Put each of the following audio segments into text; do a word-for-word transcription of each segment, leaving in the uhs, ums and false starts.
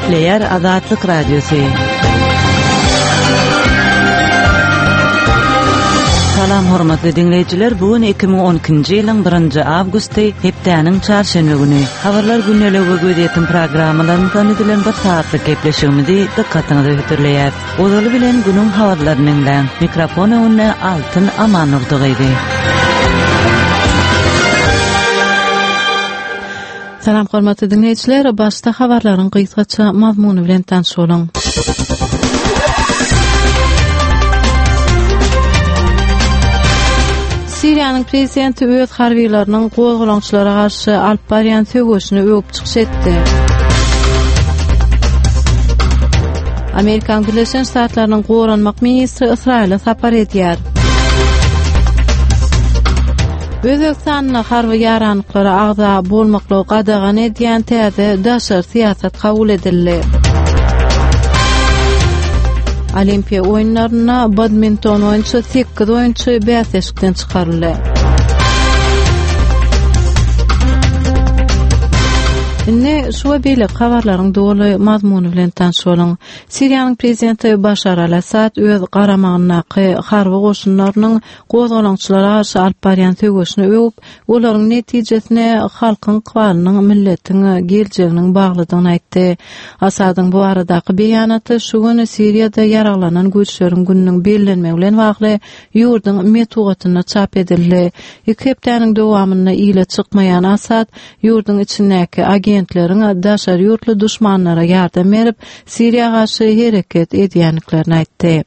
Gepleýär Azatlyk Radiosy. Salam hormatly diňleýjiler, bu gün iki müň on ikinji ýylyň birinji awgusty, hepdäniň çarşenbe güni. Habarlar gündeligi we gözýetim programmalarymyzdan düzülen bir saatlyk gepleşigimizi dykgatyňyza hödürleýär. Ozaly bilen günüň habarlaryny diňläň. Mikrofon öňünde Altyn Amanurdy gyzy. Salam hormatly dinleýjiler, başda habarlaryň gysgaça mazmuny bilen tanyş boluň. Siriýanyň prezidenti öz harbiýlarynyň gozgalaňçylara garşy alyp barýan söweşini öwüp çykyş etdi. Amerikan Birleşen Ştatlarynyň goranmak ministri Ysraýyla sapar edýär. Özbegistanda harby ýaranlyklara agza bolmaklygy gadagan edýän täze daşary syýasat kabul edildi. Olimpiýa oýunlarynda badminton boýunça sekiz oýunçy bäsleşikden çykaryldy. Indi şu we beýleki habarlaryň doly mazmuny bilen tanyş boluň. Siriýanyň prezidenti Başar al-Assad öz garamagyndaky harby goşunlarynyň gozgalaňçylara garşy alyp barýan söweşini öwüp, olaryň netijesine halkyň ykbalynyň, milletiň geljeginiň baglydygyny aýtdy. Assadyň bu baradaky beýanaty şu gün Siriýada ýaraglanan güýçleriň gününiň bellenmegi bilen bagly ýurduň metbugatynda çap edildi. Iki hepdäniň dowamynda ile çykmaýan Assad ýurduň içindäki agentleriň daşary ýurtly duşmanlara ýardam berip, Siriýa garşy hereket edýändiklerini aýtdy.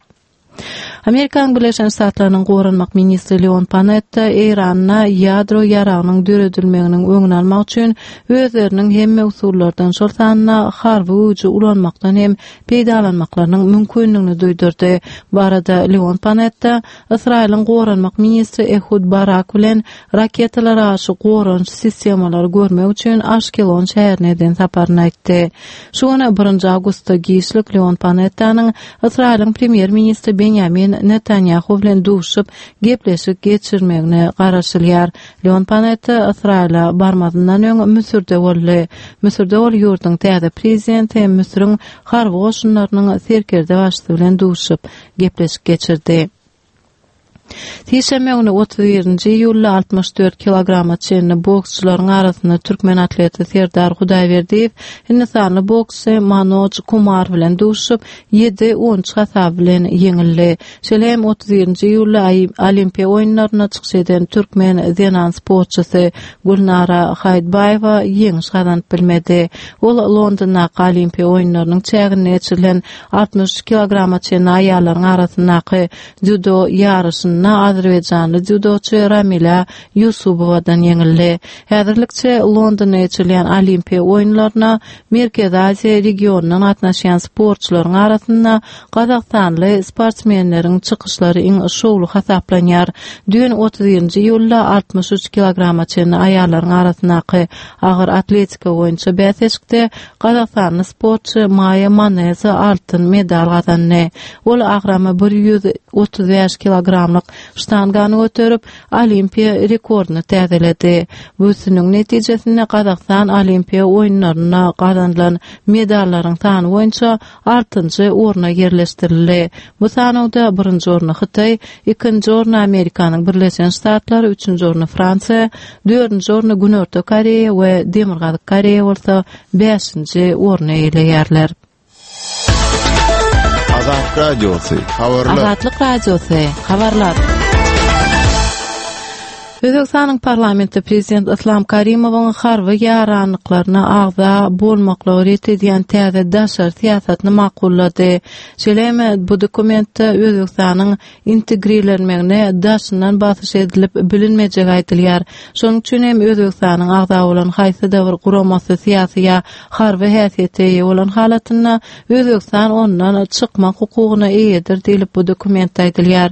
Amerikanyň Birleşen Ştatlarynyň goranmak ministri Leon Panetta Eýranda ýadro ýaragynyň döredilmeginiň öňüni almak üçin özleriniň hemme usullardan, şol sanda harby güýji ulanmakdan hem peýdalanmaklarynyň mümkinligini duýdurdy. Bu arada Leon Panetta Ysraýylyň goranmak ministri Ehud Barak bilen raketalara garşy goranyş sistemalary görmek üçin Aşkelon şäherine eden saparyny aýtdy. Şu gün birinji awgustda giçlik Leon Panettanyň Ysraýylyň premýer-ministri Benjamin Netanyahu bilen duşup gepleşik geçirmegine garaşylýar. Leon Panetta Ysraýyla barmazyndan öň Müsürde boldy. Müsürde ol ýurduň täze prezidenti hem Müsüriň harby goşunlarynyň serkerde başçysy bilen duşup gepleşik geçirdi. Sişenbe güni otuz birinji iýulda altmyş dört kilograma çenli boksçularyň arasynda türkmen atleti Serdar Hudaýberdiýew hindistanly boksçy Manoj Kumar bilen duşup, ýedi on üç hasaby bilen ýeňildi. Şeýle hem otuz birinji iýulda Olimpiýa oýunlarynda çykyş eden türkmen zenan sportçysy Gülnara Haýtbaýewa ýeňiş gazanyp bilmedi. Ol Londondaky Olimpiýa oýunlarynyň çäginde geçirilen altmyş üç kilograma çenli aýallaryň arasyndaky dzýudo ýaryşynda azerbaýjanly dzýudoçy Ramila Ýusubowadan ýeňildi. Häzirlikçe Londonda geçirilýän Olimpiýa oýunlaryna Merkezi Aziýa regionyndan gatnaşýan sportçylaryň arasynda gazagystanly sportsmenleriň çykyşlary iň şowly hasaplanýar. Düýn otuz birinji iýulda altmyş üç kilograma çenli aýallaryň arasyndaky agyr atletika boýunça bäsleşikde gazagystanly sportçy Maýa Maneza altyn medal gazandy. Ol agramy bir ýüz otuz bäş kilogramlyk ştangany göterip, Olimpiýa rekordyny täzeledi. Bu üstünligiň netijesinde Gazagystan Olimpiýa oýunlarynda gazanylan medallaryň sany boýunça altynjy orna ýerleşdirildi. Bu sanawda birinji orny Hytaý, ikinji orny Amerikanyň Birleşen Ştatlary, üçünji orny Fransiýa, dördünji orny Günorta Koreýa we Demirgazyk Koreýa bolsa bäşinji orny eýeleýärler. Azatlyk Radiosy, habarlar. Azatlyk Radiosy, habarlar. Özbegistanyň parlamenti prezident Islam Karimowyň harby ýaranlyklaryna agza bolmaklygy ret edýän täze daşary syýasatyny makullady. Şeýle hem bu dokumentde Özbegistanyň integrirlenmegine daşyndan basyş edilip bilinmejegi aýdylýar. Şonuň üçin hem Özbegistanyň agza bolan haýsy-da bir guramasy syýasy ýa harby häsiýete eýe bolan halatynda Özbegistan ondan çykmak hukugyna eýedir diýlip bu dokumentde aýdylýar.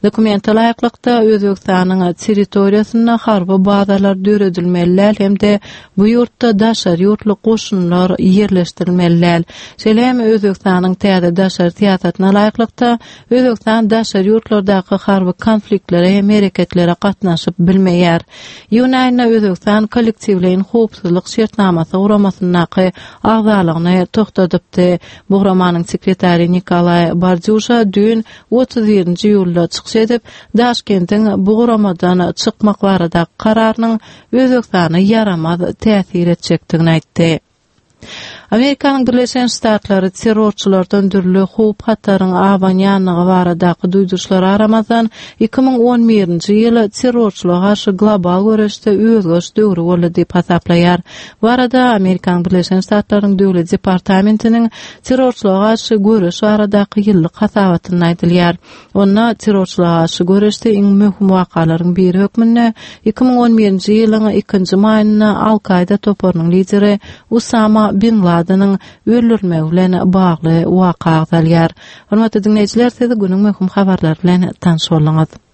Dokumente laýyklykda Özbegistanyň territoriýasynyň territoriýasynda harby bazalar döredilmeli däl hem-de bu ýurtda daşary ýurtly goşunlar ýerleşdirilmeli däl. Şeýle hem Özbegistanyň täze daşary syýasatyna laýyklykda Özbegistan daşary ýurtlardaky harby konfliktlere hem hereketlere gatnaşyp bilmeýär. Iýun aýynda Özbegistan kollektiwleýin howpsuzlyk şertnamasy guramasyndaky agzalygyny togtadypdy. Bu guramanyň sekretary Nikolaý Bardýuşa düýn otuz birinji iýulda çykyş edip, Daşkentiň bu guramadan çykmak baradaky kararynyň Özbegistana ýaramaz täsir etjekdigini aýtdy. Amerikanyň Birleşen Ştatlary terrorçylardan dürli howp-hataryň abanýanlygy baradaky duýduryşlara garamazdan, iki müň on birinji ýyl terrorçylyga garşy global göreşde özgeriş döwri boldy diýip hasaplaýar. Bu barada Amerikanyň Birleşen Ştatlarynyň Döwlet departamentiniň terrorçylyga garşy göreş baradaky ýyllyk hasabatynda aýdylýar. Onda terrorçylyga garşy göreşde iň möhüm wakalaryň biri hökmünde iki müň on birinji ýylyň ikinji maýynda Al-Kaýda toparynyň lideri Usama bin Ladeniň öldürilmegi bilen bagly waka agzalýar. Hormatly diňleýjiler, siz günüň möhüm habarlary bilen tanyş bolduňyz.